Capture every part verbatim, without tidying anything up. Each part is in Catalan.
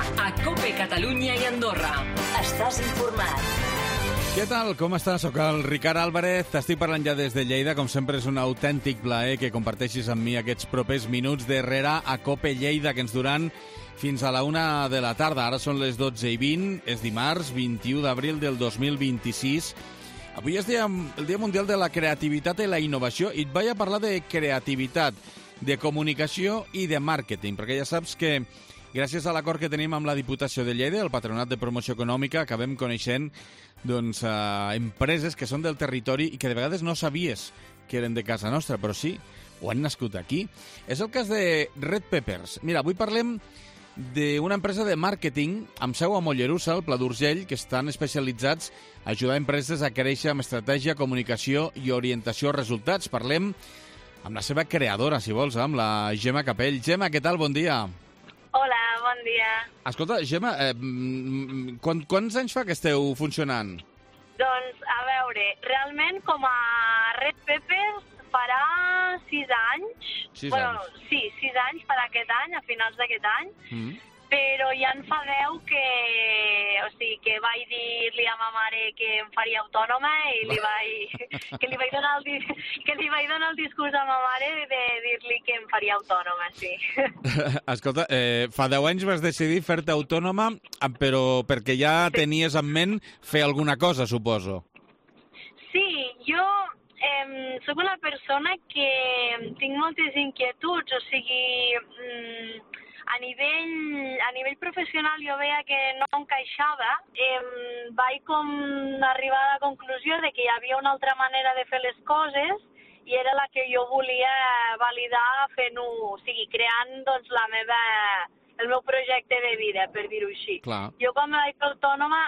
a COPE Catalunya i Andorra. Estàs informat. Què tal? Com estàs? Soc el Ricard Álvarez. T'estic parlant ja des de Lleida. Com sempre és un autèntic plaer que comparteixis amb mi aquests propers minuts darrere a COPE Lleida, que ens duran fins a la una de la tarda. Ara són les dotze i vint. És dimarts, vint-i-u d'abril del dos mil vint-i-sis. Avui és dia, el Dia Mundial de la Creativitat i la Innovació i et vaig a parlar de creativitat, de comunicació i de màrqueting, perquè ja saps que gràcies a l'acord que tenim amb la Diputació de Lleida, el Patronat de Promoció Econòmica, acabem coneixent doncs, eh, empreses que són del territori i que de vegades no sabies que eren de casa nostra, però sí, ho han nascut aquí. És el cas de Red Peppers. Mira, avui parlem d'una empresa de màrqueting amb seu a Mollerussa, al Pla d'Urgell, que estan especialitzats a ajudar empreses a créixer amb estratègia, comunicació i orientació a resultats. Parlem amb la seva creadora, si vols, amb la Gemma Capell. Gemma, què tal? Bon dia. Hola, bon dia. Escolta, Gemma, eh, quant, quants anys fa que esteu funcionant? Doncs, a veure, realment com a Red Peppers farà sis anys. Sis bueno, anys. Sí, sis anys per aquest any, a finals d'aquest any. Mm. Però ja en fa deu que, o sigui, que vaig dir-li a ma mare que em faria autònoma i li vaig, que, li vaig donar el, que li vaig donar el discurs a ma mare de dir-li que em faria autònoma, sí. Escolta, eh, fa deu anys vas decidir fer-te autònoma, però perquè ja sí. Tenies en ment fer alguna cosa, suposo. Sí, jo eh, sóc una persona que tinc moltes inquietuds, o sigui... Mm, A nivell, a nivell professional jo veia que no encaixava. Em vaig com arribar a la conclusió de que hi havia una altra manera de fer les coses i era la que jo volia validar fent-ho, o sigui, creant doncs, la meva, el meu projecte de vida, per dir-ho així. Clar. Jo quan me vaig fer autònoma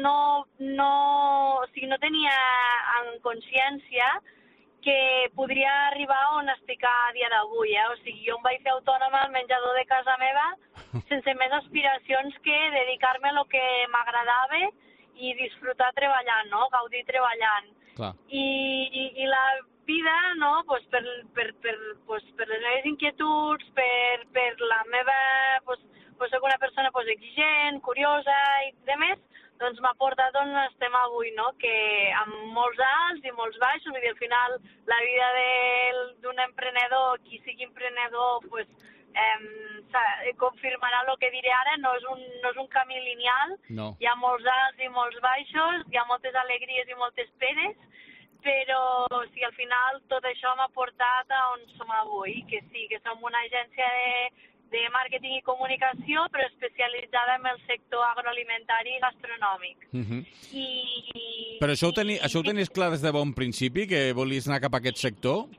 no, no, o sigui, no tenia en consciència que podria arribar on estic a dia d'avui, eh? O sigui, jo em vaig fer autònoma al menjador de casa meva sense més aspiracions que dedicar-me a lo que m'agradava i disfrutar treballant, no? Gaudir treballant. Clar. I, i, i la vida, no? Pues per, per, per, pues per les meves inquietuds, per, per la meva... Pues, pues soc una persona pues, exigent, curiosa i demés, doncs m'ha portat on estem avui, no? Que amb molts alts i molts baixos, vull dir, al final la vida d'un emprenedor, qui sigui emprenedor, pues, eh, confirmarà el que diré ara, no és un, no és un camí lineal, no. Hi ha molts alts i molts baixos, hi ha moltes alegries i moltes penes, però o sigui, al final tot això m'ha portat a on som avui, que sí, que som una agència de de màrqueting i comunicació, però especialitzada en el sector agroalimentari i gastronòmic. Uh-huh. I, però això ho, teni, i, això ho tenies clar des de bon principi, que volies anar cap a aquest sector?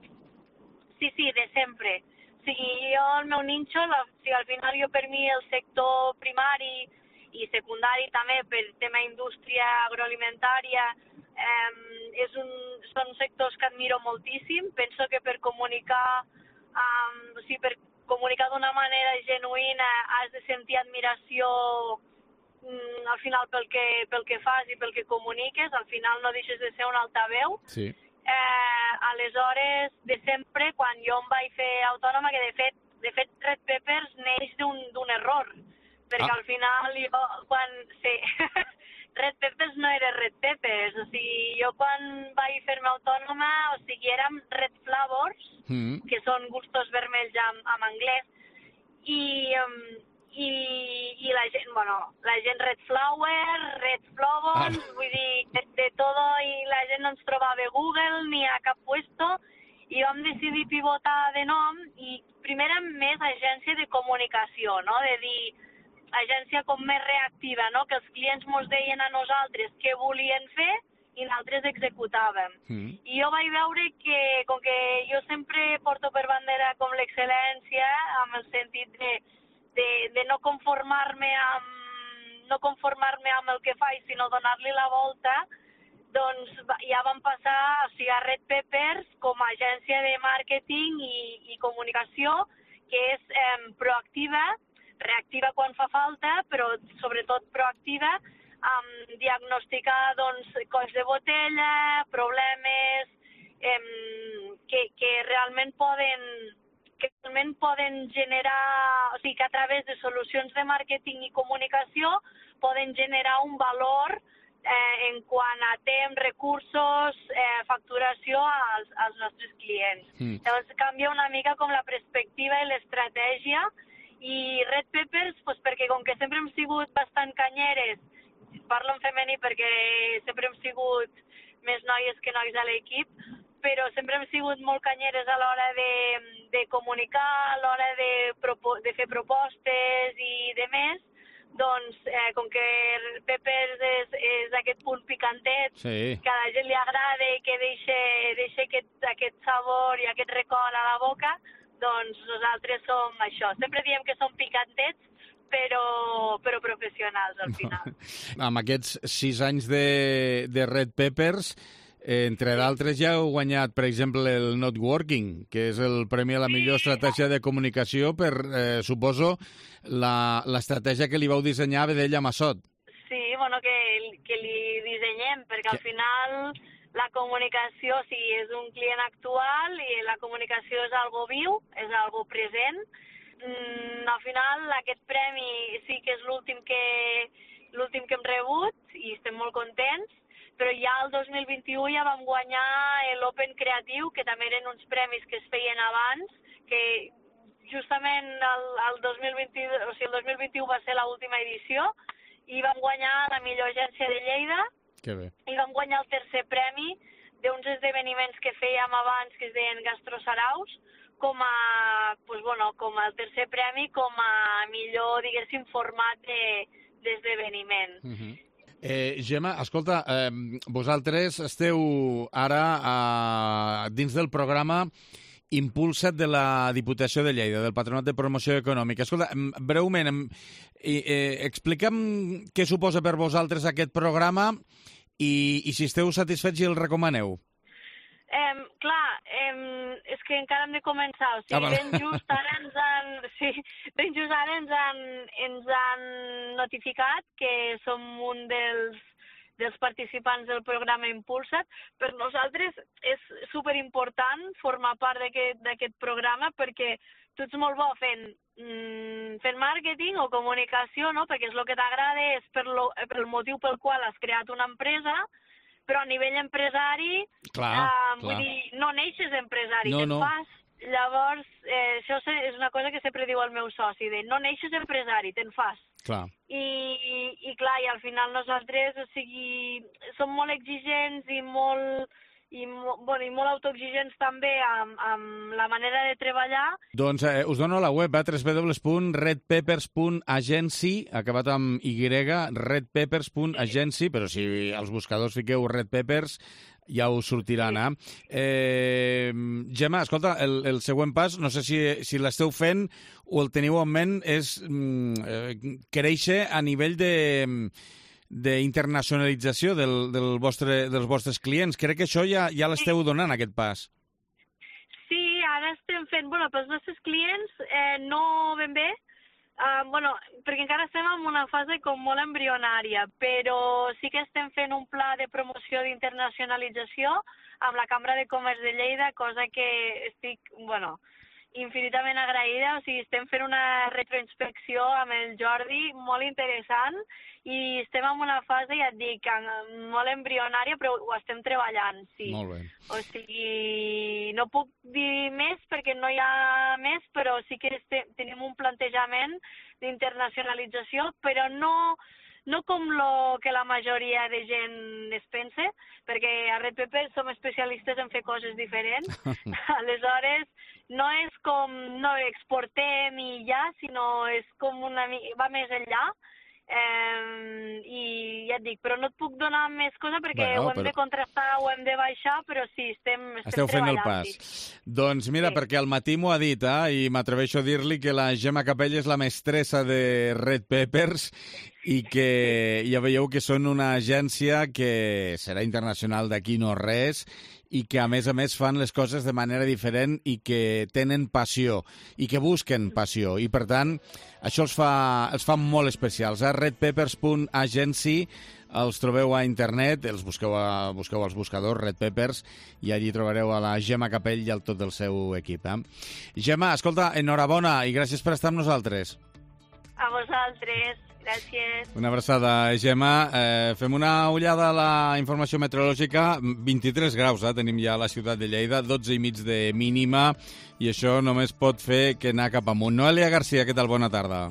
Sí, sí, de sempre. O sigui, jo, el meu ninxo, la, o sigui, al final jo per mi el sector primari i secundari també per tema indústria agroalimentària eh, és un, són sectors que admiro moltíssim. Penso que per comunicar, um, o sigui, per comunicar d'una manera genuïna has de sentir admiració mm, al final pel que, pel que fas i pel que comuniques, al final no deixes de ser un altaveu. Sí. Eh, aleshores, de sempre, quan jo em vaig fer autònoma, que de fet, de fet Red Peppers neix d'un error, perquè ah. al final jo, quan... Sí, Red Peppers no era Red Peppers, o sigui, jo quan vaig fer-me autònoma, o sigui, érem Red Flavors, mm. que són gustos vermells en, en anglès, i, um, i, i la gent, bueno, la gent Red Flower, Red Flowons, ah. vull dir, de, de todo, i la gent no ens trobava a Google ni a cap puesto, i vam decidir pivotar de nom, i primer amb més agència de comunicació, no?, de dir, agència com més reactiva, no?, que els clients mos deien a nosaltres què volien fer i nosaltres executàvem. Mm. I jo vaig veure que, com que jo sempre porto per bandera com l'excel·lència, amb el sentit de, de, de no conformar-me amb no conformar-me amb el que faig, sinó donar-li la volta, doncs ja vam passar o sigui, a Red Peppers com a agència de màrqueting i, i comunicació, que és eh, proactiva, reactiva quan fa falta, però sobretot proactiva, amb diagnosticar doncs, colls de botella, problemes eh, que, que realment poden, que realment poden generar, o sigui, que a través de solucions de màrqueting i comunicació poden generar un valor eh, en quant a temps, recursos, eh, facturació als, als nostres clients. Mm. Llavors canvia una mica com la perspectiva i l'estratègia, i Red Peppers, pues, perquè com que sempre hem sigut bastant canyeres, parlo en femení perquè sempre hem sigut més noies que nois a l'equip, però sempre hem sigut molt canyeres a l'hora de, de comunicar, a l'hora de, de fer propostes i de més, doncs, eh, com que Peppers és, és aquest punt picantet, sí, que a la gent li agrada i que deixa, deixa aquest, aquest sabor i aquest record a la boca, doncs nosaltres som això. Sempre diem que som picantets, però, però professionals, al final. Amb aquests sis anys de, de Red Peppers, eh, entre d'altres ja heu guanyat, per exemple, el Not Working, que és el premi a la millor sí. estratègia de comunicació per, eh, suposo, l'estratègia que li vau dissenyar a Vedella Massot. Sí, bueno, que, que li dissenyem, perquè al final la comunicació, sí, és un client actual i la comunicació és algo viu, és algo present. Mm, al final, aquest premi sí que és l'últim que, l'últim que hem rebut i estem molt contents, però ja el dos mil vint-i-u ja vam guanyar l'Open Creatiu, que també eren uns premis que es feien abans, que justament el, el, dos mil vint, o sigui, el dos mil vint-i-u va ser l'última edició, i vam guanyar la millor agència de Lleida, que bé. I vam guanyar el tercer premi d'uns esdeveniments que fèiem abans, que es deien Gastrosaraus, com a, pues, bueno, com el tercer premi, com a millor, diguéssim, format d'esdeveniment. De, uh-huh. eh, Gemma, escolta, eh, vosaltres esteu ara a, dins del programa Impulsa't de la Diputació de Lleida, del Patronat de Promoció Econòmica. Escolta, breument, eh, eh, explica'm què suposa per vosaltres aquest programa i, i si esteu satisfets i el recomaneu. Eh, clar, eh, és que encara hem de començar, o sigui, ah, ben just ara ens han, sí, ben just ara ens han, ens han notificat que som un dels, dels participants del programa Impulsa't. Per nosaltres és superimportant formar part d'aquest programa perquè tu ets molt bo fent, mm, fent màrqueting o comunicació, no? Perquè és el que t'agrada, és per, lo, per el motiu pel qual has creat una empresa, però a nivell empresari, clar, eh, vull clar. dir, no neixes empresari, no, te'n no. fas. Llavors, eh, això és una cosa que sempre diu el meu soci, de no neixes empresari, te'n fas. Clar. I, i, i clar, i al final nosaltres, o sigui, som molt exigents i molt, i, bueno, i molt autoexigents també amb, amb la manera de treballar. Doncs eh, us dono la web, eh, w w w punt red peppers punt agency, acabat amb Y, red peppers punt agency, però si als buscadors fiqueu Red Peppers ja us sortiran, eh? eh Gemma, escolta, el, el següent pas, no sé si, si l'esteu fent o el teniu en ment, és mm, eh, créixer a nivell de d'internacionalització del, del vostre, dels vostres clients. Crec que això ja, ja l'esteu donant, aquest pas. Sí, ara estem fent, bueno, pels nostres clients eh, no ben bé, uh, bueno, perquè encara estem en una fase com molt embrionària, però sí que estem fent un pla de promoció d'internacionalització amb la Cambra de Comerç de Lleida, cosa que estic, bueno, infinitament agraïda. O sigui, estem fent una retroinspecció amb el Jordi molt interessant i estem en una fase, ja et dic, molt embrionària, però ho estem treballant, sí. Molt bé. O sigui, no puc dir més perquè no hi ha més, però sí que estem, tenim un plantejament d'internacionalització, però no, no com lo que la majoria de gent es pensa, perquè a Red Peppers som especialistes en fer coses diferents. Aleshores, no és com no exportem i ja, sinó és com una va més enllà. Eh, i ja et dic, però no et puc donar més cosa perquè bueno, ho hem però... de contrastar, ho hem de baixar, però sí, estem, estem Esteu fent el pas. Sí. Doncs mira, sí. Perquè al matí m'ho ha dit, eh, i m'atreveixo a dir-li que la Gemma Capella és la mestressa de Red Peppers i que ja veieu que són una agència que serà internacional d'aquí no res i que a més a més fan les coses de manera diferent i que tenen passió i que busquen passió i per tant això els fa, els fa molt especials. A red peppers punt agency els trobeu a internet, els busqueu, a, busqueu als buscadors Red Peppers i allí trobareu a la Gemma Capell i al tot el seu equip. Eh? Gemma, escolta, enhorabona i gràcies per estar amb nosaltres. A vosaltres. Gràcies. Una abraçada, Gemma. Eh, fem una ullada a la informació meteorològica. vint-i-tres graus eh, tenim ja a la ciutat de Lleida, dotze i mig de mínima, i això només pot fer que anar cap amunt. Noelia Garcia, què tal? Bona tarda.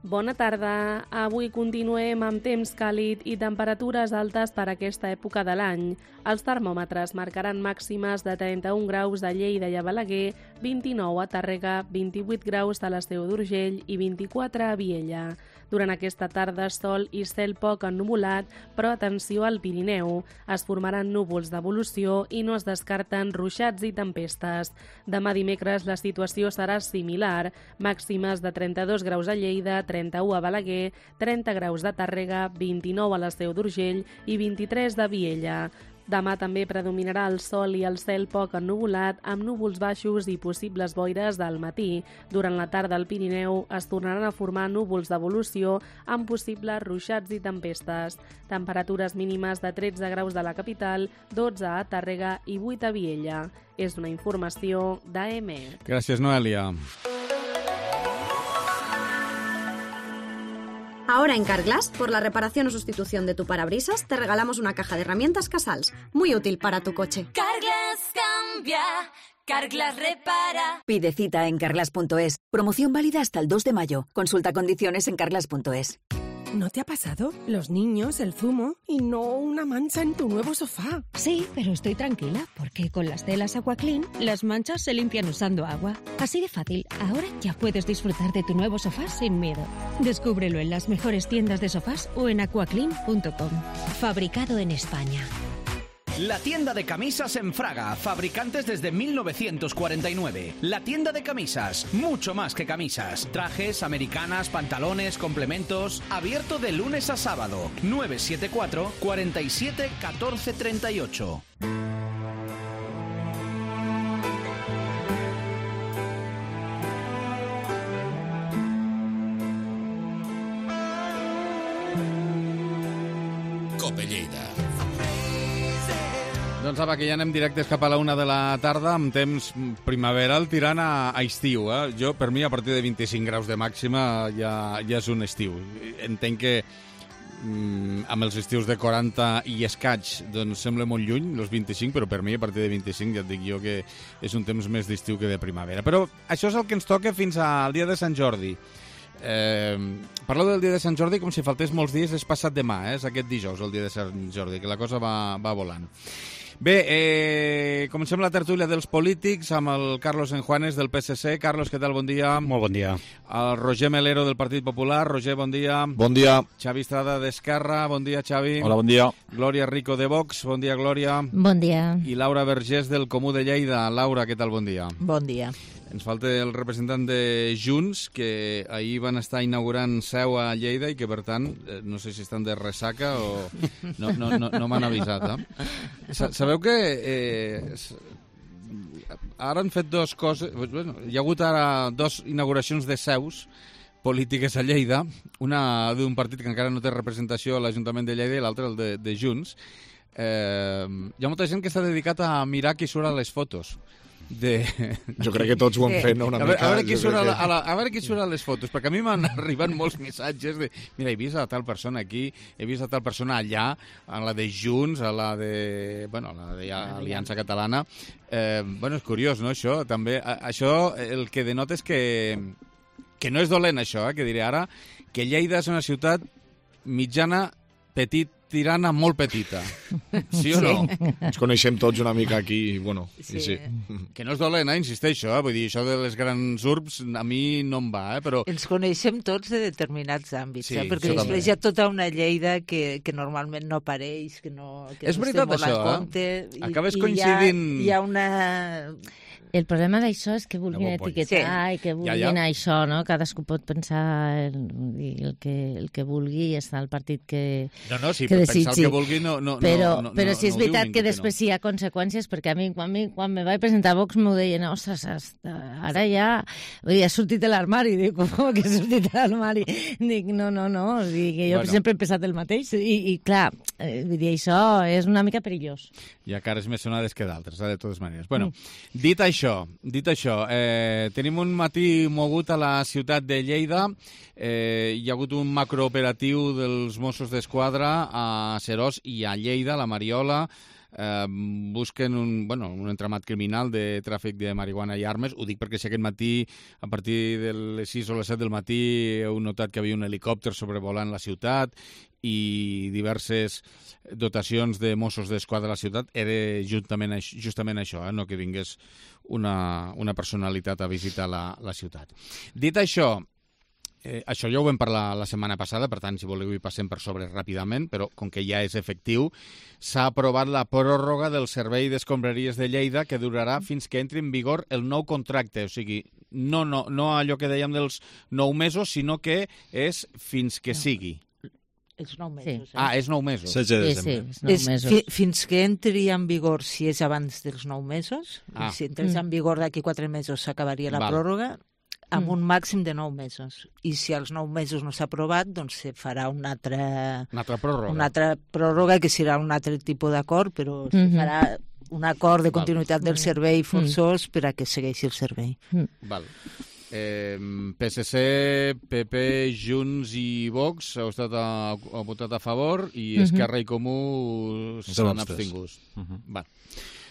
Bona tarda. Avui continuem amb temps càlid i temperatures altes per aquesta època de l'any. Els termòmetres marcaran màximes de trenta-un graus a Lleida i a Balaguer, vint-i-nou a Tàrrega, vint-i-vuit graus a la Seu d'Urgell i vint-i-quatre a Viella. Durant aquesta tarda, sol i cel poc ennuvolat, però atenció al Pirineu. Es formaran núvols d'evolució i no es descarten ruixats i tempestes. Demà dimecres la situació serà similar. Màximes de trenta-dos graus a Lleida, trenta-u a Balaguer, trenta graus de Tàrrega, vint-i-nou a la Seu d'Urgell i vint-i-tres de Viella. Demà també predominarà el sol i el cel poc ennuvolat, amb núvols baixos i possibles boires del matí. Durant la tarda al Pirineu es tornaran a formar núvols d'evolució amb possibles ruixats i tempestes. Temperatures mínimes de tretze graus de la capital, dotze a Tàrrega i vuit a Viella. És una informació d'A M. Gràcies, Noelia. Ahora en Carglass, por la reparación o sustitución de tu parabrisas, te regalamos una caja de herramientas Casals, muy útil para tu coche. Carglass cambia, Carglass repara. Pide cita en carglass punto es. Promoción válida hasta el dos de mayo. Consulta condiciones en carglass punto es. ¿No te ha pasado? Los niños, el zumo y no una mancha en tu nuevo sofá. Sí, pero estoy tranquila porque con las telas AquaClean las manchas se limpian usando agua. Así de fácil, ahora ya puedes disfrutar de tu nuevo sofá sin miedo. Descúbrelo en las mejores tiendas de sofás o en aquaclean punto com. Fabricado en España. La tienda de camisas en Fraga, fabricantes desde mil novecientos cuarenta y nueve. La tienda de camisas, mucho más que camisas. Trajes, americanas, pantalones, complementos. Abierto de lunes a sábado. nueve siete cuatro, cuatro siete, uno cuatro tres ocho. Cope Lleida. Doncs apa, que ja anem directes cap a la una de la tarda, amb temps primaveral tirant a, a estiu. Eh? Jo, per mi, a partir de vint-i-cinc graus de màxima ja, ja és un estiu. Entenc que mm, amb els estius de quaranta i escaig doncs sembla molt lluny, els vint-i-cinc, però per mi, a partir de vint-i-cinc, ja et dic jo que és un temps més d'estiu que de primavera. Però això és el que ens toca fins al dia de Sant Jordi. Eh, parlo del dia de Sant Jordi com si faltés molts dies, és passat demà, eh? És aquest dijous, el dia de Sant Jordi, que la cosa va, va volant. Bé, eh, comencem la tertúlia dels polítics amb el Carlos Enjuanes del P S C. Carlos, què tal? Bon dia. Molt bon dia. El Roger Melero del Partit Popular. Roger, bon dia. Bon dia. Xavi Estrada d'Esquerra. Bon dia, Xavi. Hola, bon dia. Glòria Rico de Vox. Bon dia, Glòria. Bon dia. I Laura Vergés del Comú de Lleida. Laura, què tal? Bon dia. Bon dia. Ens falta el representant de Junts, que ahir van estar inaugurant seu a Lleida i que, per tant, no sé si estan de ressaca o no, no, no, no m'han avisat. Eh? Sabeu que eh, ara han fet dues coses... Bueno, hi ha hagut ara dues inauguracions de seus polítiques a Lleida, una d'un partit que encara no té representació a l'Ajuntament de Lleida i l'altra el de, de Junts. Eh, hi ha molta gent que s'ha dedicat a mirar qui surt a les fotos. De... Jo crec que tots ho hem fet, no? Una a, veure, mica, a, veure qui surt que... a, la, a, la, a veure qui surt a les fotos, perquè a mi m'han arribat molts missatges de mira, he vist a tal persona aquí, he vist a tal persona allà, a la de Junts, a la de, bueno, a la de Aliança Catalana. Eh, bueno, és curiós, no, això? També, a, això el que denota és que, que no és dolent, això, eh, que diré ara, que Lleida és una ciutat mitjana, petit, tirana molt petita. Sí o no? Sí. Ens coneixem tots una mica aquí, bueno, sí. sí. Que no és dolent, eh? Insisteixo, eh? Vull dir, això de les grans urbs a mi no em va, eh? Però... Ens coneixem tots de determinats àmbits, sí, eh? Perquè després hi ha tota una Lleida que, que normalment no apareix, que no, que és no veritat, estem molt això, a compte. Eh? Acabes I, coincidint... I hi ha, hi ha una... El problema d'això és que vulguin etiquetar sí. i que vulguin ja, ja. això, no? Cadascú pot pensar el, el, que, el que vulgui i està el partit que, no, no, sí, que desitgi. Pensar el que vulgui no, no, però, no, no, però no, sí és no veritat que després no. hi ha conseqüències, perquè a mi quan, mi, quan me vaig presentar a Vox m'ho deien, ostres, ara ja vull dir, ha sortit de l'armari. Dic, com que ha sortit de l'armari? Dic, no, no, no. Dic, jo bueno. sempre he pensat el mateix. I, i clar, eh, vull dir, això és una mica perillós. Hi ha cares més sonades que d'altres, de totes maneres. Bueno, mm. dit això, dit això, eh, tenim un matí mogut a la ciutat de Lleida. Eh, hi ha hagut un macrooperatiu dels Mossos d'Esquadra a Seròs i a Lleida, a la Mariola. Eh, busquen un, bueno, un entramat criminal de tràfic de marihuana i armes. Ho dic perquè si aquest matí, a partir de les sis o les set del matí, heu notat que havia un helicòpter sobrevolant la ciutat i diverses dotacions de Mossos d'Esquadra a la ciutat. Era justament, justament això, eh? No que vingués una, una personalitat a visitar la, la ciutat. Dit això, Eh, això ja ho vam parlar la setmana passada, per tant, si voleu hi passem per sobre ràpidament, però com que ja és efectiu, s'ha aprovat la pròrroga del servei d'escombraries de Lleida que durarà fins que entri en vigor el nou contracte. O sigui, no, no, no allò que dèiem dels nou mesos, sinó que és fins que sigui. Els nou mesos. Sí. Eh? Ah, és nou mesos. Sí, sí, sí és nou és mesos. Fi, fins que entri en vigor, si és abans dels nou mesos, ah. si entres mm. en vigor d'aquí quatre mesos s'acabaria la Val. pròrroga, amb un màxim de nou mesos. I si als nou mesos no s'ha aprovat, doncs se farà una altra... Una altra pròrroga. Una altra pròrroga, que serà un altre tipus d'acord, però mm -hmm. se farà un acord de continuïtat Val. del servei forçós mm. per a que segueixi el servei. Mm. Val. Eh, P S C, P P, Junts i Vox heu estat a, a votat a favor i Esquerra mm -hmm. i Comú s'han abstingut. Mm -hmm. Val.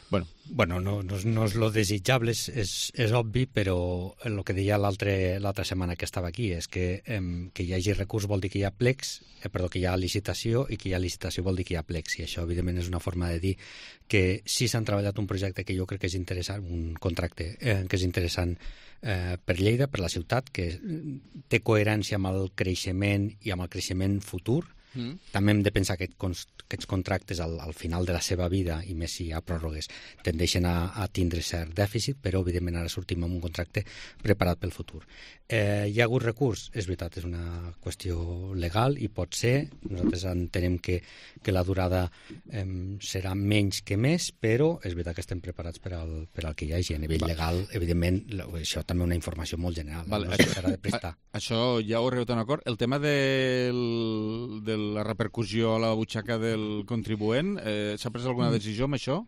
Bueno, bueno no, no, no és lo desitjable, és, és, és obvi, però el que deia l'altra setmana que estava aquí és que eh, que hi hagi recurs vol dir que hi ha plecs, eh, perdó, que hi ha licitació, i que hi ha licitació vol dir que hi ha plecs, i això evidentment és una forma de dir que sí s'han treballat un projecte que jo crec que és interessant, un contracte eh, que és interessant eh, per Lleida, per la ciutat, que té coherència amb el creixement i amb el creixement futur. Mm. També hem de pensar que aquests contractes al, al final de la seva vida, i més si hi ha pròrrogues, tendeixen a, a tindre cert dèficit, però evidentment ara sortim amb un contracte preparat pel futur. Eh, hi ha hagut recurs? És veritat, és una qüestió legal i pot ser, nosaltres entenem que, que la durada eh, serà menys que més, però és veritat que estem preparats per al, per al que hi hagi. A nivell Val. legal, evidentment, això també és una informació molt general. Val, no això, de prestar. A, això ja ho heu arribat a un acord. El tema del, del la repercussió a la butxaca del contribuent, eh, s'ha pres alguna decisió amb això?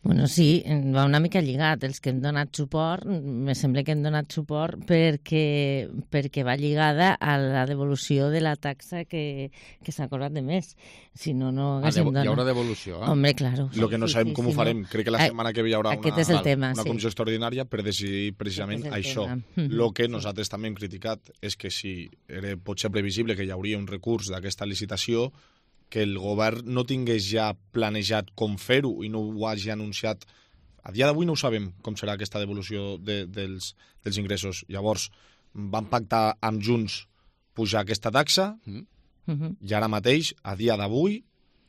Bueno, sí, va una mica lligat. Els que hem donat suport, me sembla que hem donat suport perquè, perquè va lligada a la devolució de la taxa que, que s'ha acordat de més. Si no, no haguéssim donat. Hi haurà devolució, eh? Hombre, claro. Lo que no sabem sí, sí, com sí, ho farem. No. Crec que la setmana que ve hi haurà una, és el tema, una sí. comissió extraordinària per decidir precisament això. El que nosaltres també hem criticat és que si era potser previsible que hi hauria un recurs d'aquesta licitació, que el govern no tingués ja planejat com fer-ho i no ho hagi anunciat. A dia d'avui no ho sabem com serà aquesta devolució de, dels, dels ingressos. Llavors, van pactar amb Junts pujar aquesta taxa mm. i ara mateix, a dia d'avui,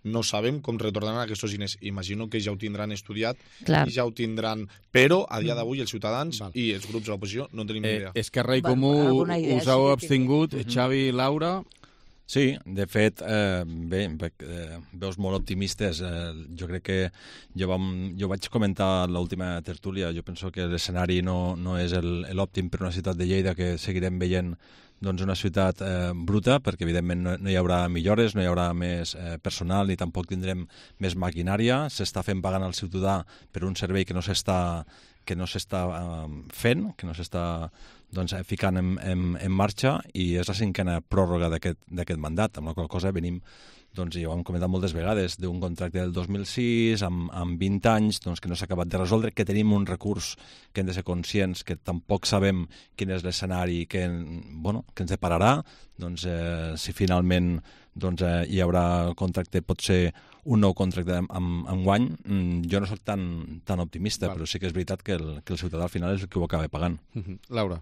no sabem com retornaran aquests diners. Imagino que ja ho tindran estudiat Clar. i ja ho tindran... Però, a dia d'avui, els ciutadans Val. i els grups de l'oposició no tenim eh, idea. Esquerra i Comú us heu abstingut, uh-huh. Xavi i Laura... Sí, de fet, eh, bé, eh, veus molt optimistes. Eh, jo crec que jo, vam, jo vaig comentar a l'última tertúlia, jo penso que l'escenari no, no és l'òptim per una ciutat de Lleida, que seguirem veient doncs, una ciutat eh, bruta, perquè evidentment no, no hi haurà millores, no hi haurà més eh, personal ni tampoc tindrem més maquinària. S'està fent pagant al ciutadà per un servei que no s'està que no s'està eh, fent, que no s'està doncs, ficant en, en, en marxa, i és la cinquena pròrroga d'aquest mandat, amb la qual cosa venim, doncs, ja ho hem comentat moltes vegades, d'un contracte del dos mil sis, amb, amb vint anys, doncs, que no s'ha acabat de resoldre, que tenim un recurs que hem de ser conscients, que tampoc sabem quin és l'escenari que, bueno, que ens depararà, doncs, eh, si finalment doncs, eh, hi haurà contracte, pot ser un nou contracte amb, amb guany. Jo no soc tan, tan optimista, Val. però sí que és veritat que el, que el ciutadà al final és el que ho acaba pagant. Uh-huh. Laura.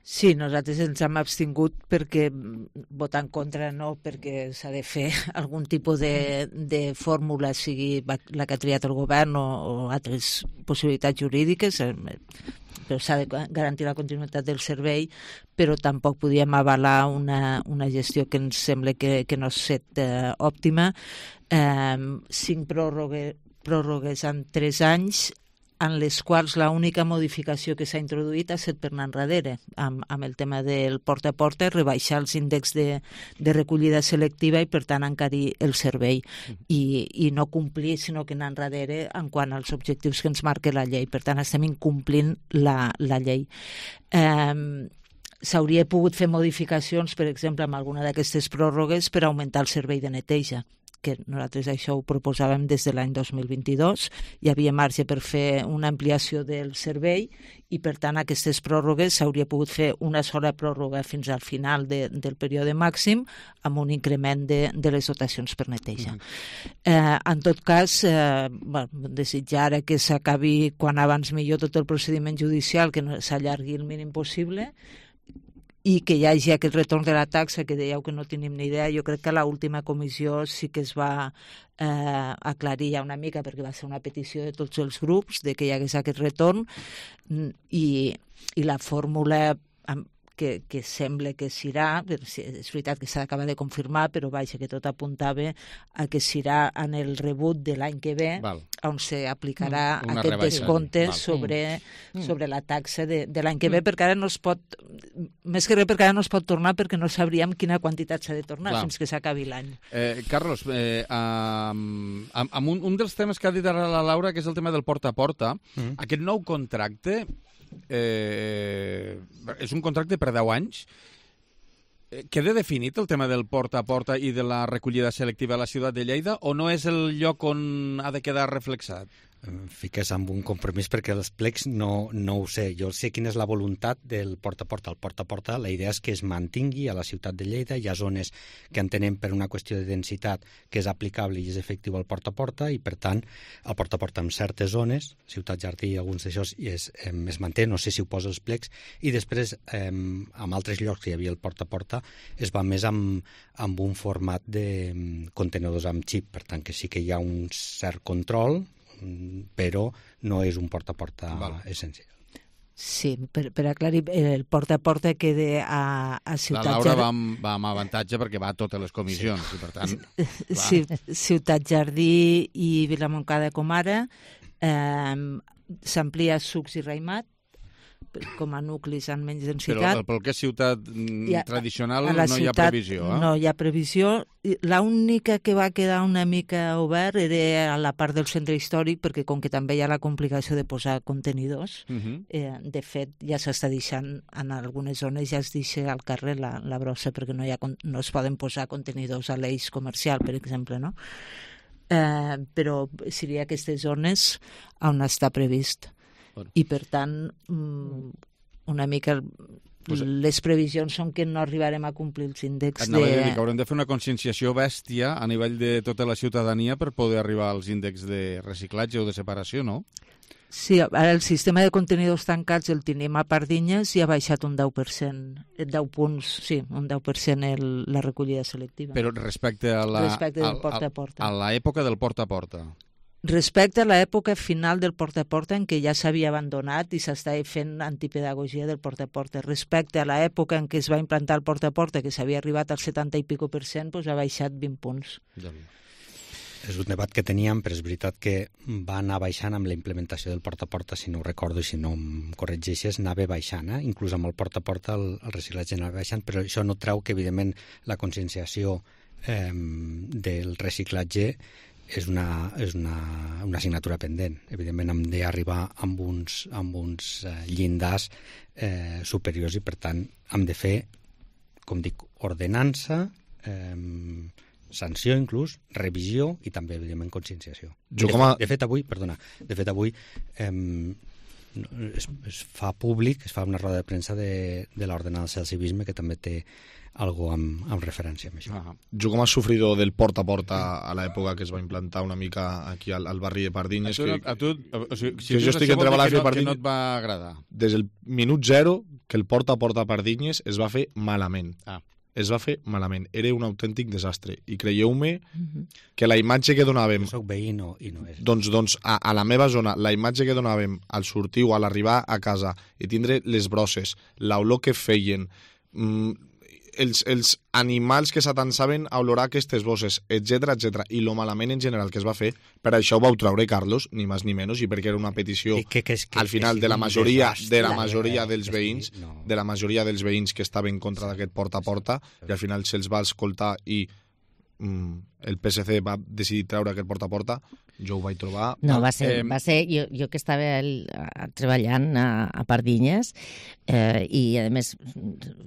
Sí, nosaltres ens hem abstingut perquè votar en contra no, perquè s'ha de fer algun tipus de, de fórmula, sigui la que ha triat el govern o, o altres possibilitats jurídiques, però s'ha de garantir la continuïtat del servei, però tampoc podíem avalar una, una gestió que ens sembla que, que no és set eh, òptima. Eh, cinc pròrrogues, pròrrogues en tres anys, en les quals l'única modificació que s'ha introduït ha estat per anar enrere, amb, amb el tema del porta a porta, rebaixar els índexs de, de recollida selectiva i, per tant, encarir el servei i, i no complir, sinó que anar enrere en quant als objectius que ens marca la llei. Per tant, estem incomplint la, la llei. Eh, S'hauria pogut fer modificacions, per exemple, amb alguna d'aquestes pròrrogues per augmentar el servei de neteja, que nosaltres això ho proposàvem des de l'any dos mil vint-i-dos. Hi havia marge per fer una ampliació del servei i, per tant, aquestes pròrrogues s'hauria pogut fer una sola pròrroga fins al final de, del període màxim amb un increment de, de les dotacions per neteja. Mm-hmm. Eh, en tot cas, eh, bueno, desitjar que s'acabi quan abans millor tot el procediment judicial, que no s'allargui el mínim possible, i que hi hagi aquest retorn de la taxa que dèieu que no tenim ni idea. Jo crec que a l'última comissió sí que es va eh, aclarir ja una mica, perquè va ser una petició de tots els grups de que hi hagués aquest retorn, i, i la fórmula que, que sembla que serà, és veritat que s'ha d'acabar de confirmar, però vaja, que tot apuntava a que serà en el rebut de l'any que ve, Val. on s'aplicarà mm, aquest rebaixa. descompte sobre, mm. sobre la taxa de, de l'any que ve, mm. perquè ara no es pot, més que res perquè ara no es pot tornar, perquè no sabríem quina quantitat s'ha de tornar Clar. fins que s'acabi l'any. Eh, Carlos, eh, um, amb, amb un, un dels temes que ha dit ara la Laura, que és el tema del porta a porta, mm. aquest nou contracte Eh, és un contracte per deu anys. Eh, queda definit el tema del porta a porta i de la recollida selectiva a la ciutat de Lleida, o no és el lloc on ha de quedar reflexat? Fiques amb un compromís perquè els plecs no, no ho sé. Jo sé quina és la voluntat del porta a porta. El porta a porta, la idea és que es mantingui a la ciutat de Lleida. Hi ha zones que entenem per una qüestió de densitat que és aplicable i és efectiu al porta a porta, i per tant el porta a porta en certes zones, Ciutat Jardí i alguns d'aixòs, es, es manté, no sé si ho posa els plecs, i després eh, en altres llocs que hi havia el porta a porta es va més amb, amb un format de contenedors amb xip, per tant que sí que hi ha un cert control, però no és un porta a porta Val. essencial. Sí, per, per aclarir, el porta a porta queda a, a Ciutat Jardí. La Laura va amb, va amb avantatge perquè va a totes les comissions, sí. i per tant... Sí, Ciutat Jardí i Vilamoncada com ara, eh, s'amplia Sucs i Raimat, com a nuclis amb menys densitat. Però pel que és ciutat ha, tradicional no ciutat, hi ha previsió, eh? No hi ha previsió. L'única que va quedar una mica obert era a la part del centre històric, perquè com que també hi ha la complicació de posar contenidors, uh-huh. eh, de fet ja s'està deixant, en algunes zones ja es deixa al carrer la, la brossa, perquè no, hi ha, no es poden posar contenidors a l'eix comercial, per exemple, no? Eh, però seria aquestes zones on està previst. I, per tant, una mica pues, les previsions són que no arribarem a complir els índexs de... Dir que haurem de fer una conscienciació bèstia a nivell de tota la ciutadania per poder arribar als índexs de reciclatge o de separació, no? Sí, ara el sistema de contenidors tancats el tenim a Pardinyes i ha baixat un deu per cent, deu punts, sí, un deu per cent el, la recollida selectiva. Però respecte a la, respecte del porta a porta. A l'època del porta a porta. Respecte a l'època final del porta a porta, en què ja s'havia abandonat i s'estava fent antipedagogia del porta a porta. Respecte a l'època en què es va implantar el porta a porta, que s'havia arribat al setanta i pico per cent, doncs ha baixat vint punts. Ja. És un debat que teníem, però és veritat que va anar baixant amb la implementació del porta a porta, si no ho recordo i si no em corregeixes, anava baixant, eh? Inclús amb el porta a porta el, el reciclatge anava baixant, però això no treu que, evidentment, la conscienciació eh, del reciclatge és una, és una, una assignatura pendent. Evidentment hem d'arribar amb uns, amb uns eh, llindars eh, superiors i, per tant, hem de fer, com dic, ordenança, eh, sanció inclús, revisió i també, evidentment, conscienciació. De, a... de fet, avui, perdona, de fet, avui eh, es, es fa públic, es fa una roda de premsa de, de l'ordenança del civisme que també té algo amb, amb referència amb això. Ah. Jo com a sofridor del porta a porta a l'època que es va implantar una mica aquí al, al barri de Pardinyes... A tu, que, a tu, o sigui, si que jo estic entre Balàfia i Pardinyes... Que no et va agradar. Des del minut zero que el porta a porta a Pardinyes es va fer malament. Ah. Es va fer malament. Era un autèntic desastre. I creieu-me que la imatge que donàvem... Jo soc veí no, i no és. Doncs, doncs a, a la meva zona, la imatge que donàvem al sortir o a l'arribar a casa i tindre les brosses, l'olor que feien... Mmm, els, els animals que s'atansaven a olorar aquestes bosses, etcètera, etcètera, i lo malament en general que es va fer, per això ho vau traure, Carlos, ni més ni menys, i perquè era una petició que, que, que, al final que, que de la majoria desastre, de la majoria dels que, veïns, no. de la majoria dels veïns que estaven en contra d'aquest porta a porta, i al final se'ls va escoltar i mm, el P S C va decidir treure aquest porta a porta, jo ho vaig trobar... No, va ser, eh, va ser jo, jo que estava el, a, treballant a, a Pardinyes eh, i, a més,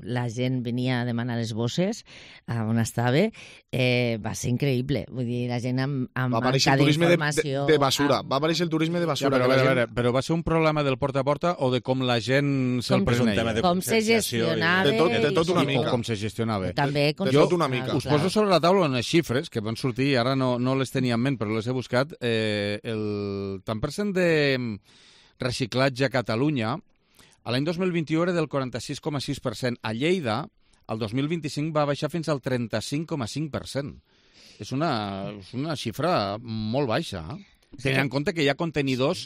la gent venia a demanar les bosses a on estava, eh, va ser increïble. Vull dir, la gent amb, amb va aparèixer el turisme de, de, de basura. Amb... Va aparèixer el turisme de basura. Ja, però, a veure, gent... a veure, però va ser un problema del porta a porta o de com la gent se'l preneia? Com se gestionava... De tot, de tot una mica. O com se gestionava. També, de tot una mica. Us poso sobre la taula unes xifres que van sortir, ara no, no les tenia en ment, però les he buscat. Eh, el tant per cent de reciclatge a Catalunya a l'any dos mil vint-i-u era del quaranta-sis coma sis per cent. A Lleida, el dos mil vint-i-cinc va baixar fins al trenta-cinc coma cinc per cent. És una, és una xifra molt baixa, eh? Tenint en compte que hi ha contenidors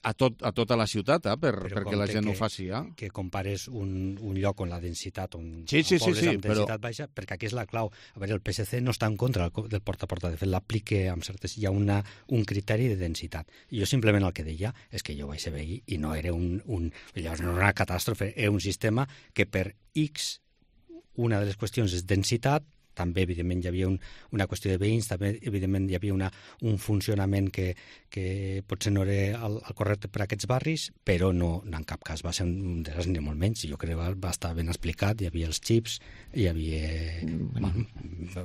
a, tot, a tota la ciutat, eh? per, perquè la gent que, ho faci. Eh? Que compares un, un lloc on la densitat, on, sí, sí, on pobles sí, sí, amb densitat però... baixa, perquè aquí és la clau. A veure, el P S C no està en contra del porta a porta, de fet l'aplica amb certes... Hi ha una, un criteri de densitat. I jo simplement el que deia és que jo vaig ser veí i no era un, un, llavors no era una catàstrofe, era un sistema que per X, una de les qüestions és densitat, també, evidentment, hi havia un, una qüestió de veïns, també, evidentment, hi havia una, un funcionament que, que potser no era el, el correcte per a aquests barris, però no, no en cap cas va ser un desastre ni molt menys. Jo crec que va, va estar ben explicat, hi havia els xips, hi havia... Mm.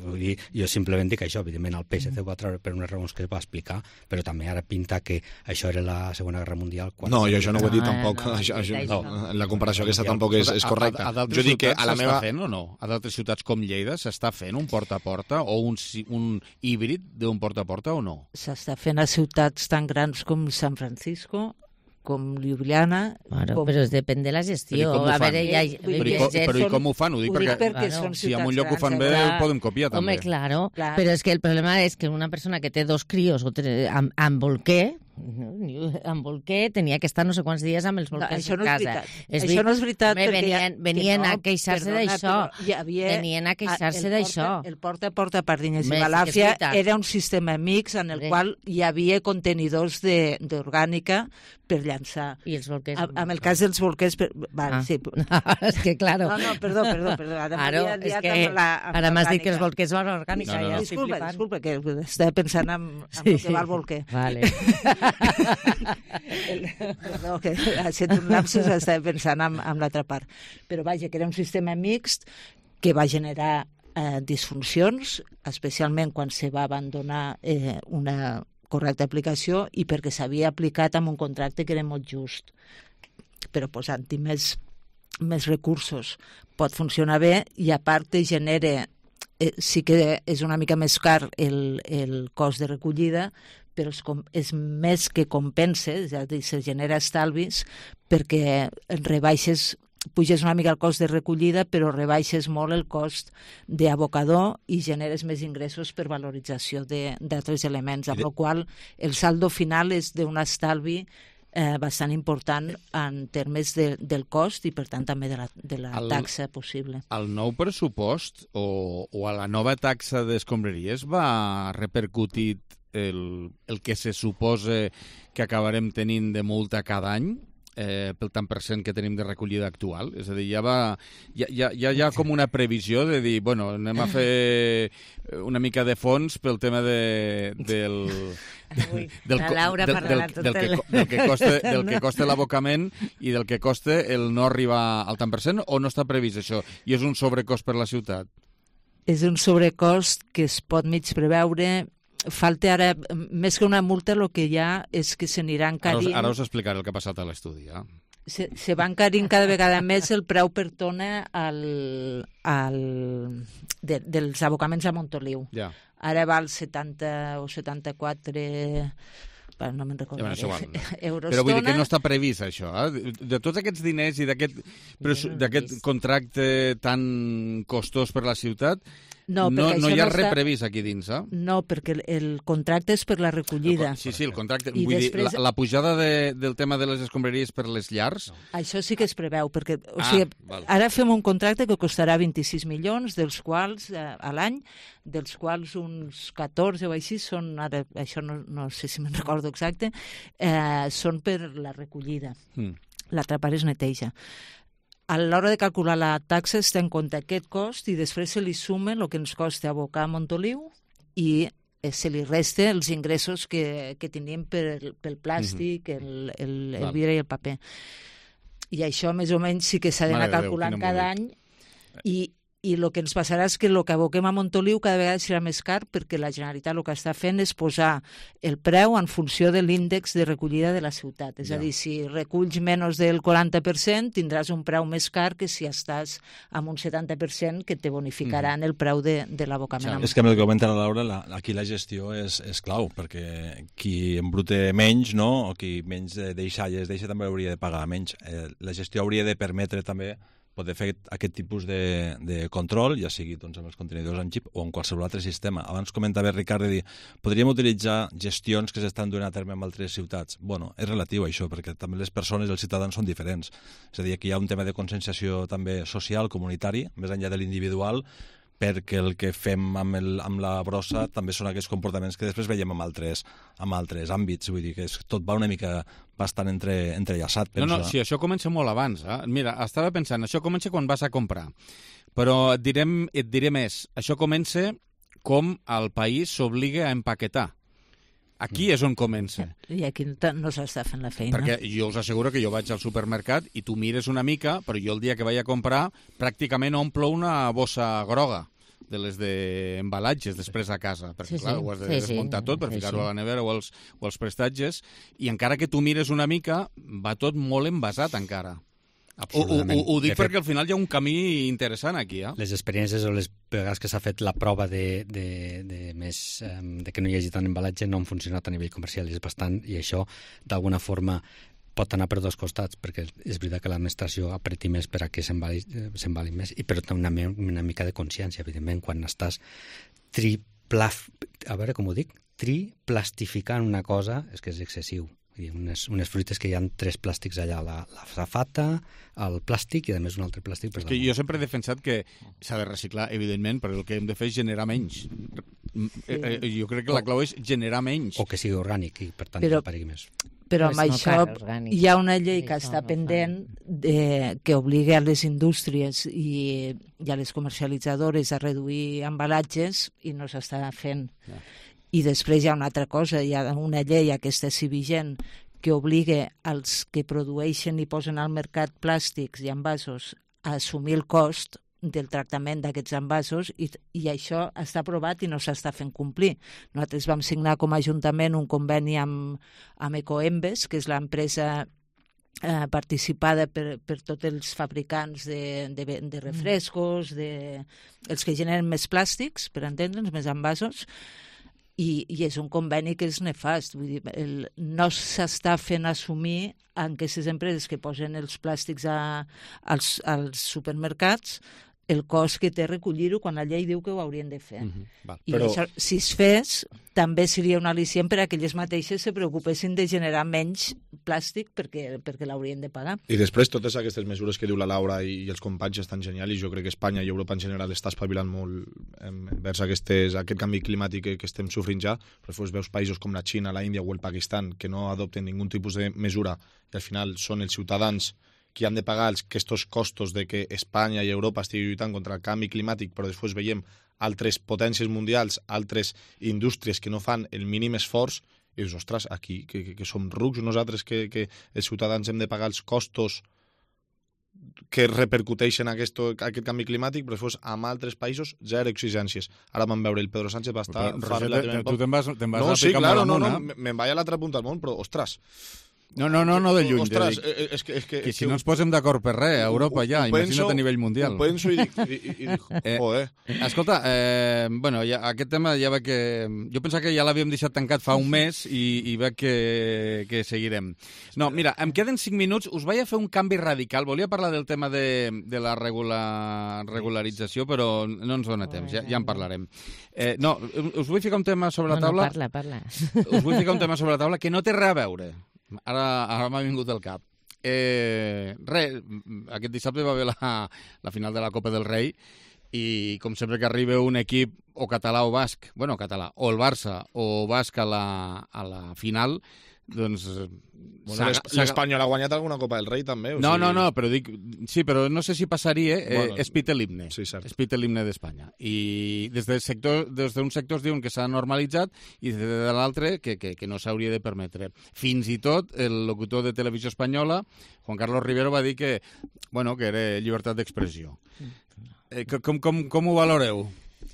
Vull dir, jo simplement dic això, evidentment, el P S C ho va treure per unes raons que es va explicar, però també ara pinta que això era la Segona Guerra Mundial. Quan... No, jo això no ho he dit tampoc. No, això, això, no. La comparació aquesta tampoc és, és correcta. A, a jo dic que a la meva... fent o no? A d'altres ciutats com Lleida s'està fent fent un porta a porta o un, un híbrid d'un porta a porta o no? S'està fent a ciutats tan grans com San Francisco, com Ljubljana... Bueno, com... però depèn de la gestió. A veure, ja... Però, i, com, però i com ho fan? Ho dic ho perquè, dic perquè bueno, són si en un lloc ho fan grans, bé, eh? ho podem copiar també. Home, claro, Clar. però és que el problema és que una persona que té dos crios o tre... amb, amb bolquer, amb bolquer, tenia que estar no sé quants dies amb els bolquers no, a casa. És això no és veritat. Home, venien, venien no, a queixar-se d'això. Venien a queixar-se d'això. El porta a porta a Pardinyes i Balàfia era un sistema mix en el qual hi havia contenidors d'orgànica per llançar. I els bolquers? A, amb el cas dels bolquers... Per... Vale, ah. sí. És que, claro. No, no, perdó, perdó. perdó. Ara Claro, és que la, ara m'has dit que els bolquers van orgànica. No, no, no. Ja disculpa, disculpa, que estava pensant en, en sí, el que va el bolquer. Vale. el, perdó, que ha estat un lapsus, estava pensant en, en l'altra part. Però vaja, que era un sistema mixt que va generar eh, disfuncions, especialment quan se va abandonar eh, una correcta aplicació i perquè s'havia aplicat amb un contracte que era molt just. Però posant-hi més, més recursos pot funcionar bé i a part genera, eh, sí que és una mica més car el, el cost de recollida, però és, com, és més que compensa, és a dir, se genera estalvis perquè rebaixes, puges una mica el cost de recollida, però rebaixes molt el cost d'abocador i generes més ingressos per valorització d'altres elements, amb la qual el saldo final és d'un estalvi eh, bastant important en termes de, del cost i, per tant, també de la, de la el, taxa possible. El nou pressupost o, o a la nova taxa d'escombraries va repercutir el, el que se suposa que acabarem tenint de multa cada any? Eh, pel tant per cent que tenim de recollida actual, és a dir, ja va ja, ja, ja hi ha com una previsió de dir, bueno, anem a fer una mica de fons pel tema de, del Ui, del, la Laura del, del, del, del, que, del que costa, del que costa l'abocament i del que costa el no arribar al tant per cent, o no està previst això i és un sobrecost per la ciutat? És un sobrecost que es pot mig preveure falta ara, més que una multa, el que hi ha és que se n'irà encarint... Ara us, ara us explicaré el que ha passat a l'estudi, eh? Se, se va encarint cada vegada més el preu per tona al, al, de, dels abocaments a Montoliu. Ja. Ara val setanta o setanta-quatre... Bueno, no me'n recordo. Ja, bueno, val. Euros Però vull dir tona. que no està previst, això. Eh? De tots aquests diners i d'aquest contracte tan costós per la ciutat, no, no, no hi ha res està... previst aquí dins, eh? No, perquè el, el contracte és per la recollida. Sí, sí, el contracte. I Vull després... dir, la, la pujada de, del tema de les escombraries per les llars... No. Això sí que es preveu, perquè o ah, sigui, val. ara fem un contracte que costarà vint-i-sis milions, dels quals, eh, a l'any, dels quals uns catorze o així són, ara, això no, no sé si me'n recordo exacte, eh, són per la recollida. Mm. L'altra part es neteja. A l'hora de calcular la taxa es té en compte aquest cost i després se li suma el que ens costa abocar a Montoliu i se li resta els ingressos que, que tenim per, pel plàstic, mm-hmm. el, el, el vidre i el paper. I això més o menys sí que s'ha d'anar calculant cada any i i el que ens passarà és que el que aboquem a Montoliu cada vegada serà més car perquè la Generalitat el que està fent és posar el preu en funció de l'índex de recollida de la ciutat. És ja. a dir, si reculls menys del quaranta per cent tindràs un preu més car que si estàs amb un setanta per cent que te bonificaran mm. el preu de, de l'abocament. Ja. És que amb el que comenta la Laura, la, aquí la gestió és, és clau, perquè qui embrute menys, no? O qui menys deixalles deixa també hauria de pagar menys. Eh, la gestió hauria de permetre també poder fer aquest tipus de, de control, ja sigui doncs, amb els contenidors en xip o en qualsevol altre sistema. Abans comentava Ricard de dir, podríem utilitzar gestions que s'estan duent a terme en altres ciutats. Bueno, és relatiu això, perquè també les persones i els ciutadans són diferents. És a dir, que hi ha un tema de conscienciació també social, comunitari, més enllà de l'individual, perquè el que fem amb, el, amb la brossa també són aquests comportaments que després veiem amb altres, amb altres àmbits. Vull dir que és, tot va una mica bastant entre, entrellaçat, penso. No, no, sí, això comença molt abans. Eh? Mira, estava pensant, això comença quan vas a comprar. Però et diré, et diré més. Això comença com el país s'obliga a empaquetar. Aquí és on comença. I aquí no s'està fent la feina. Perquè jo us asseguro que jo vaig al supermercat i tu mires una mica, però jo el dia que vaig a comprar pràcticament omplo una bossa groga de les d'embalatges després a casa, perquè sí, clar, sí. ho has de sí, desmuntar sí. tot per sí, ficar-ho sí. a la nevera o als, o als prestatges, i encara que tu mires una mica, va tot molt envasat encara. Ho, ho, ho, ho dic perquè al final hi ha un camí interessant aquí. Eh? Les experiències o les vegades que s'ha fet la prova de, de, de, més, um, de que no hi hagi tant embalatge no han funcionat a nivell comercial, és bastant, i això d'alguna forma pot anar per dos costats, perquè és veritat que l'administració apreti més per a que s'embalin més, i però una, una mica de consciència, evidentment, quan estàs triplaf... a veure com ho dic, triplastificant una cosa, és que és excessiu. Unes, unes fruites que hi ha tres plàstics allà, la, la safata, el plàstic i a més un altre plàstic. És que jo sempre he defensat que s'ha de reciclar, evidentment, però el que hem de fer és generar menys. Sí. Jo crec que la clau és generar menys. O que sigui orgànic i per tant però, no paregui més. Però amb això hi ha una llei que està pendent de, que obliga a les indústries i, i a les comercialitzadores a reduir embalatges i no s'està fent. Ja. I després hi ha una altra cosa, hi ha una llei, aquesta sí vigent, que obliga als que produeixen i posen al mercat plàstics i envasos a assumir el cost del tractament d'aquests envasos i, i això està aprovat i no s'està fent complir. Nosaltres vam signar com a Ajuntament un conveni amb, amb Ecoembes, que és l'empresa eh, participada per, per tots els fabricants de, de, de refrescos, de, els que generen més plàstics, per entendre'ns, més envasos, I, i és un conveni que és nefast. Vull dir, el, no s'està fent assumir en aquestes empreses que posen els plàstics a, als, als supermercats el cost que té recollir-ho quan la llei diu que ho haurien de fer. Mm-hmm. Val, I però... això, si es fes, també seria un al·licient per a que elles mateixes se preocupessin de generar menys plàstic perquè, perquè l'haurien de pagar. I després totes aquestes mesures que diu la Laura i, i els companys estan genials i jo crec que Espanya i Europa en general està espavilant molt vers aquestes, aquest canvi climàtic que, que estem sofrint ja, però després veus països com la Xina, la Índia o el Pakistan que no adopten ningun tipus de mesura i al final són els ciutadans que han de pagar aquests costos de que Espanya i Europa estigui lluitant contra el canvi climàtic, però després veiem altres potències mundials, altres indústries que no fan el mínim esforç, i dius, ostres, aquí, que, que, que som rucs nosaltres, que, que els ciutadans hem de pagar els costos que repercuteixen aquest, aquest canvi climàtic, però després amb altres països zero exigències. Ara vam veure el Pedro Sánchez va estar... Però, Roger, tu te'n vas, te vas no, a sí, picar claro, molt no, amunt, no, me'n vaig a l'altra punta del món, però, ostres... No, no, no, no de lluny. Ostres, de dir, és que, és que, que si no ens posem d'acord per res, a Europa ja, imagina't a nivell mundial. Ho penso i dic, i, i dic joder. Eh, escolta, eh, bueno, ja, aquest tema ja veig que... Jo pensava que ja l'havíem deixat tancat fa un mes i, i veig que, que seguirem. No, mira, em queden cinc minuts, us vaig a fer un canvi radical. Volia parlar del tema de, de la regular, regularització, però no ens dona temps, ja, ja en parlarem. Eh, no, us vull ficar un tema sobre la taula... No, no, parla, parla. Us vull ficar un tema sobre la taula que no té res a veure. Ara, ara m'ha vingut al cap. Eh, res, aquest dissabte va haver la, la final de la Copa del Rei i com sempre que arriba un equip o català o basc, bueno, català, o el Barça o basc a la, a la final, doncs... Bueno, l'Espanyol ha guanyat alguna Copa del Rei, també? O no, sigui... no, no, però dic... Sí, però no sé si passaria... Eh, bueno, es pita l'himne. Sí, cert. Es pita l'himne d'Espanya. I des d'un sector, des d'un sector es diuen que s'ha normalitzat i des de l'altre que, que, que no s'hauria de permetre. Fins i tot el locutor de Televisió Espanyola, Juan Carlos Rivero, va dir que, bueno, que era llibertat d'expressió. Eh, com, com, com ho valoreu?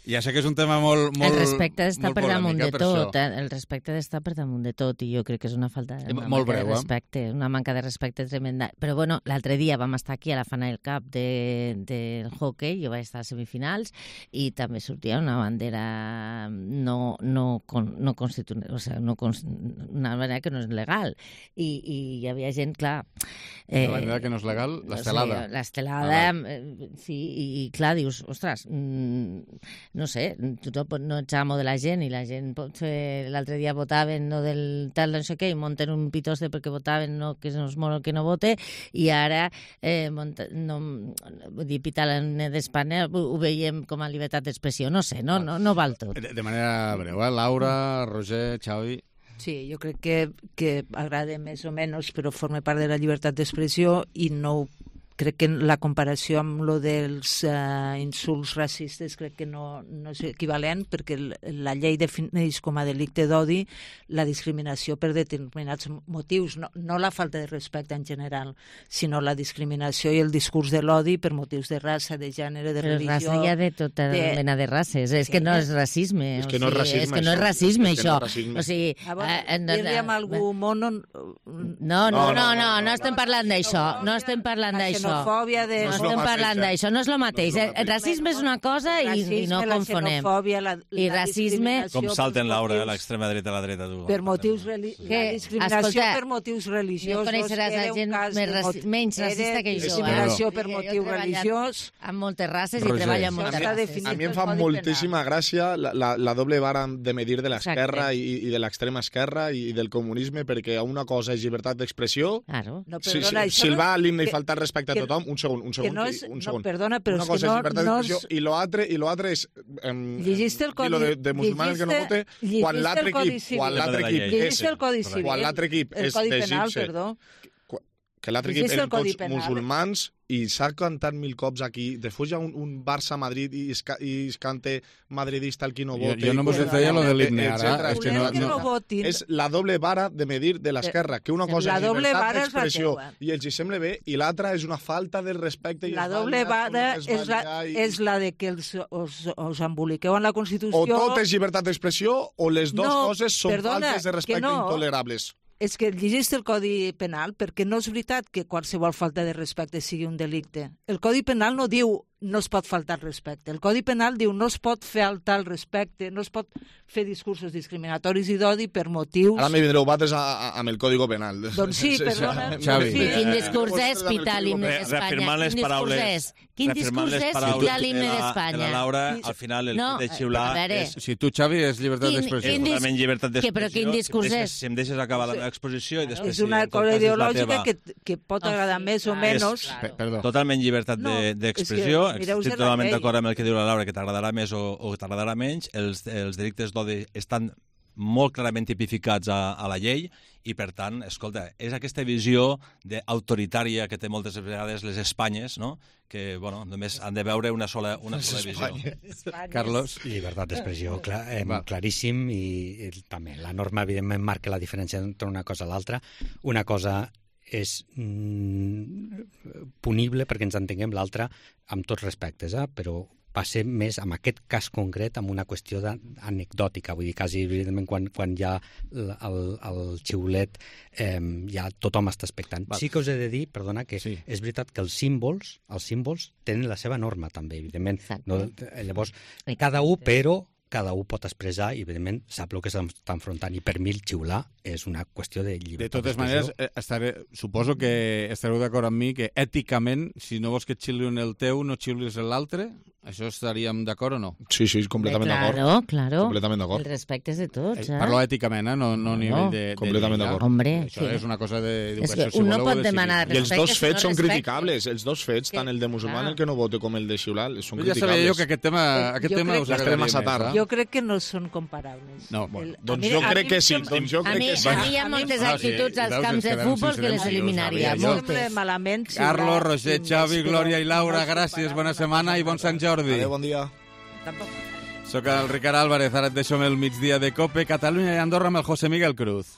Ja sé que és un tema molt, molt, el respecte està per damunt de per tot, això. el respecte està per damunt de tot i jo crec que és una falta de, una molt manca breu, de respecte, eh? una manca de respecte tremenda. Però bueno, l'altre dia vam estar aquí a la Final Cup del de, de hockey, jo vaig estar a semifinals i també sortia una bandera no, no, no constitucional, o sigui, no, una bandera que no és legal i, i hi havia gent, clar... Eh, la bandera que no és legal, l'estelada. Sí, l'estelada, ah, sí, i, i clar, dius, ostres... Mm, no sé, tu no ets amo de la gent i la gent l'altre dia votaven no del tal no sé què i munten un pitoste perquè votaven no, que no és molt que no vote i ara eh, monta, no, vull dir, pitar l'himne d'Espanya ho, ho veiem com a llibertat d'expressió, no sé, no, no, no val tot. De, de manera breu, eh? Laura, Roger, Xavi... Sí, jo crec que, que agrada més o menys, però forma part de la llibertat d'expressió i no crec que la comparació amb lo dels uh, insults racistes crec que no, no és equivalent perquè la llei defineix com a delicte d'odi la discriminació per determinats motius, no, no la falta de respecte en general, sinó la discriminació i el discurs de l'odi per motius de raça, de gènere, de Però religió... Però raça hi ha de tota de... mena de races, és que no és racisme. És que no és racisme, és que no és racisme, això. O sigui, dir-li amb algú mono... No, no, no, no, no estem parlant d'això, no estem parlant d'això. Xenofòbia de... No estem parlant d'això, no és el mateix. El racisme és una cosa i, i no confonem. La, I racisme... Com salten, Laura, l'extrema dreta a la dreta. Tu. Per motius religiosos. La discriminació escolta, per motius religiosos. No coneixeràs a gent més raci menys racista que jo. Discriminació per motiu religiós. Amb moltes races i treballo amb moltes races. A mi em fa moltíssima gràcia la, la, la doble vara de medir de l'esquerra i, i de l'extrema esquerra i, i del comunisme, perquè una cosa és llibertat d'expressió. Claro. No, si, si, si el va a l'himne i faltar respecte a tothom, un segon, un segon. No és, un segon. No, perdona, però una és cosa que no... és llibertat no d'expressió i l'altre i l'altre és... Um, llegiste el codi... Lo de, de musulmanes que no vote, quan l'altre equip... Quan l'altre equip... Llegiste el codi civil. Quan l'altre equip és d'Egipte... Que l'altre equip eren tots musulmans i s'ha cantat mil cops aquí. Després hi ha un, un Barça-Madrid i es, i es canta madridista el qui no vota. Jo, jo no vos deia lo de l'himne ara. És, que no, que no votin. És la doble vara de medir de l'esquerra, que una cosa la és llibertat d'expressió i els hi sembla bé, i l'altra és una falta de respecte. I la doble vara és la, i... és la de que els, us, us emboliqueu en la Constitució... O tot és llibertat d'expressió o les dues no, coses són perdona, faltes de respecte no. intolerables. És que llegiste el Codi Penal perquè no és veritat que qualsevol falta de respecte sigui un delicte. El Codi Penal no diu no es pot faltar respecte. El Codi Penal diu no es pot faltar el respecte, no es pot fer discursos discriminatoris i d'odi per motius... Ara me vindreu bates a, a, amb el Código Penal. Doncs sí, perdona. Xavi. Sí, quin discurs és pitar l'himne d'Espanya? Reafirmant les paraules. Quin discurs és pitar l'himne d'Espanya? La Laura, al final, el no, de xiular és... Si tu, Xavi, és llibertat d'expressió. Totalment llibertat d'expressió. Però quin discurs és? Si em deixes acabar la meva exposició i després... És una cosa ideològica que, que pot agradar més o menys. Totalment llibertat d'expressió. Estic totalment d'acord amb el que diu la Laura, que t'agradarà més o, o t'agradarà menys. Els, els delictes d'odi estan molt clarament tipificats a, a la llei i, per tant, escolta, és aquesta visió autoritària que té moltes vegades les Espanyes, no? Que, bueno, només han de veure una sola, una sola visió. Carlos? Llibertat d'expressió, clar, eh, claríssim, i, i també la norma, evidentment, marca la diferència entre una cosa i l'altra. Una cosa és mm, punible, perquè ens entenguem, l'altre amb tots respectes, eh? Però va ser més, en aquest cas concret, amb una qüestió anecdòtica, vull dir, quasi, evidentment, quan, quan hi ha el, el, el xiulet, eh, ja tothom està expectant. Va. Sí que us he de dir, perdona, que sí. És veritat que els símbols, els símbols tenen la seva norma, també, evidentment. No, llavors, cada un, però cada un pot expressar i, evidentment, sap el que s'està enfrontant. I per mi el xiular és una qüestió de llibertat. De totes maneres, estaré, suposo que estareu d'acord amb mi que èticament, si no vols que et xiulin el teu, no xiulis l'altre. Això estaríem d'acord o no? Sí, sí, completament d'acord. Claro, claro. Completament d'acord. El respecte és de tots, eh? Parlo èticament, eh? No, no a nivell de... de completament d'acord. Hombre, això sí. És una cosa d'educació. És que un no pot demanar respecte. I els dos fets si no són criticables. Els dos fets, tant el de musulmà, el que no vote, com el de xiular, són criticables. Ja sabia jo que aquest tema, aquest tema us agradaria massa tard. Jo crec que no són comparables. No, bueno, doncs jo crec que sí. Doncs jo crec que sí. A mi hi ha moltes actituds als camps de futbol que les eliminaria. Moltes. Malament. Carlos, Roger, Xavi, Glòria i Laura, gràcies, bona setmana i bon Sant Jordi. Adéu, bon dia. Soc el Ricard Álvarez, ara et deixo amb el migdia de COPE, Catalunya i Andorra amb el José Miguel Cruz.